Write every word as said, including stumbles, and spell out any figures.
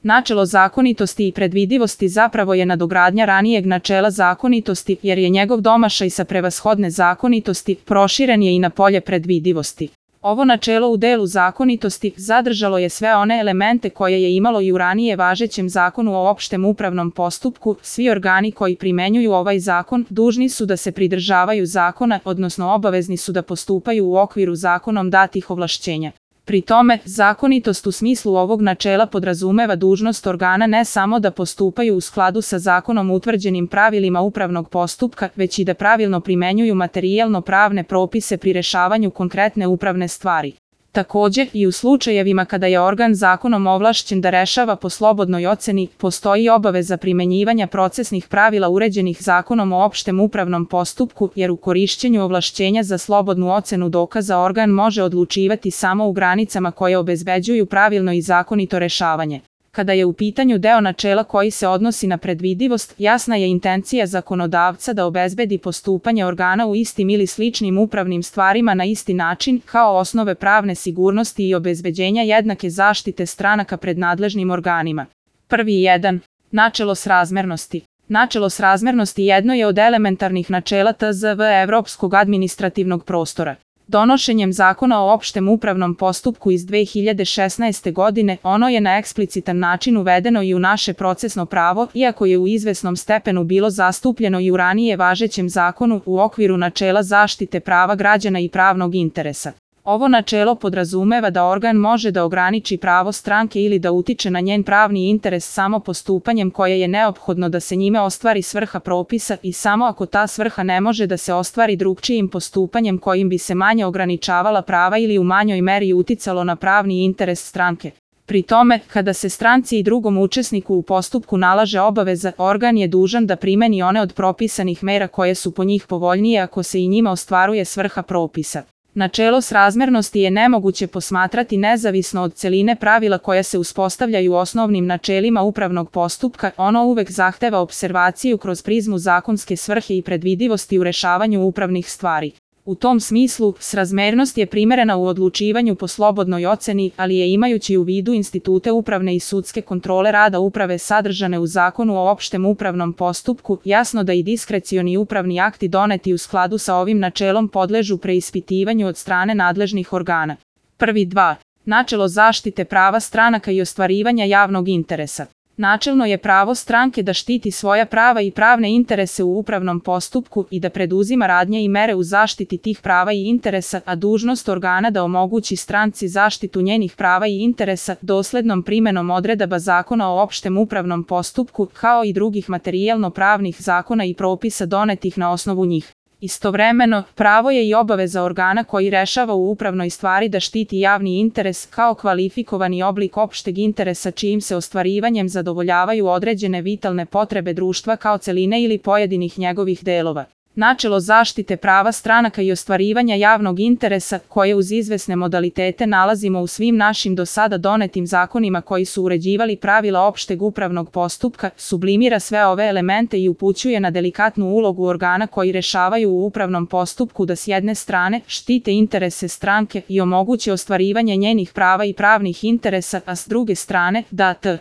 Načelo zakonitosti i predvidivosti zapravo je nadogradnja ranijeg načela zakonitosti, jer je njegov domašaj sa prevashodne zakonitosti proširen je i na polje predvidivosti. Ovo načelo u delu zakonitosti zadržalo je sve one elemente koje je imalo i u ranije važećem zakonu o opštem upravnom postupku. Svi organi koji primenjuju ovaj zakon dužni su da se pridržavaju zakona, odnosno obavezni su da postupaju u okviru zakonom datih ovlašćenja. Pri tome, zakonitost u smislu ovog načela podrazumeva dužnost organa ne samo da postupaju u skladu sa zakonom utvrđenim pravilima upravnog postupka, već i da pravilno primenjuju materijalno-pravne propise pri rešavanju konkretne upravne stvari. Takođe, i u slučajevima kada je organ zakonom ovlašćen da rešava po slobodnoj oceni, postoji obaveza primenjivanja procesnih pravila uređenih zakonom o opštem upravnom postupku, jer u korišćenju ovlašćenja za slobodnu ocenu dokaza organ može odlučivati samo u granicama koje obezbeđuju pravilno i zakonito rešavanje. Kada je u pitanju deo načela koji se odnosi na predvidivost, jasna je intencija zakonodavca da obezbedi postupanje organa u istim ili sličnim upravnim stvarima na isti način, kao osnove pravne sigurnosti i obezbeđenja jednake zaštite stranaka pred nadležnim organima. Prvi jedan. Načelo srazmernosti. Načelo srazmernosti jedno je od elementarnih načela T Z V Evropskog administrativnog prostora. Donošenjem zakona o opštem upravnom postupku iz dve hiljade šesnaeste. godine, ono je na eksplicitan način uvedeno i u naše procesno pravo, iako je u izvesnom stepenu bilo zastupljeno i u ranije važećem zakonu u okviru načela zaštite prava građana i pravnog interesa. Ovo načelo podrazumeva da organ može da ograniči pravo stranke ili da utiče na njen pravni interes samo postupanjem koje je neophodno da se njime ostvari svrha propisa i samo ako ta svrha ne može da se ostvari drugčijim postupanjem kojim bi se manje ograničavala prava ili u manjoj meri uticalo na pravni interes stranke. Pri tome, kada se stranci i drugom učesniku u postupku nalaže obaveza, organ je dužan da primeni one od propisanih mera koje su po njih povoljnije ako se i njima ostvaruje svrha propisa. Načelo srazmernosti je nemoguće posmatrati nezavisno od celine pravila koja se uspostavljaju osnovnim načelima upravnog postupka, ono uvek zahteva observaciju kroz prizmu zakonske svrhe i predvidivosti u rešavanju upravnih stvari. U tom smislu, srazmernost je primerena u odlučivanju po slobodnoj oceni, ali je imajući u vidu institute upravne i sudske kontrole rada uprave sadržane u zakonu o opštem upravnom postupku, jasno da i diskrecioni upravni akti doneti u skladu sa ovim načelom podležu preispitivanju od strane nadležnih organa. Prvi dva. Načelo zaštite prava stranaka i ostvarivanja javnog interesa. Načelno je pravo stranke da štiti svoja prava i pravne interese u upravnom postupku i da preduzima radnje i mere u zaštiti tih prava i interesa, a dužnost organa da omogući stranci zaštitu njenih prava i interesa doslednom primenom odredaba zakona o opštem upravnom postupku, kao i drugih materijalno-pravnih zakona i propisa donetih na osnovu njih. Istovremeno, pravo je i obaveza organa koji rešava u upravnoj stvari da štiti javni interes kao kvalifikovani oblik opšteg interesa čijim se ostvarivanjem zadovoljavaju određene vitalne potrebe društva kao celine ili pojedinih njegovih delova. Načelo zaštite prava stranaka i ostvarivanja javnog interesa, koje uz izvesne modalitete nalazimo u svim našim do sada donetim zakonima koji su uređivali pravila opšteg upravnog postupka, sublimira sve ove elemente i upućuje na delikatnu ulogu organa koji rešavaju u upravnom postupku da s jedne strane štite interese stranke i omoguće ostvarivanje njenih prava i pravnih interesa, a s druge strane da t.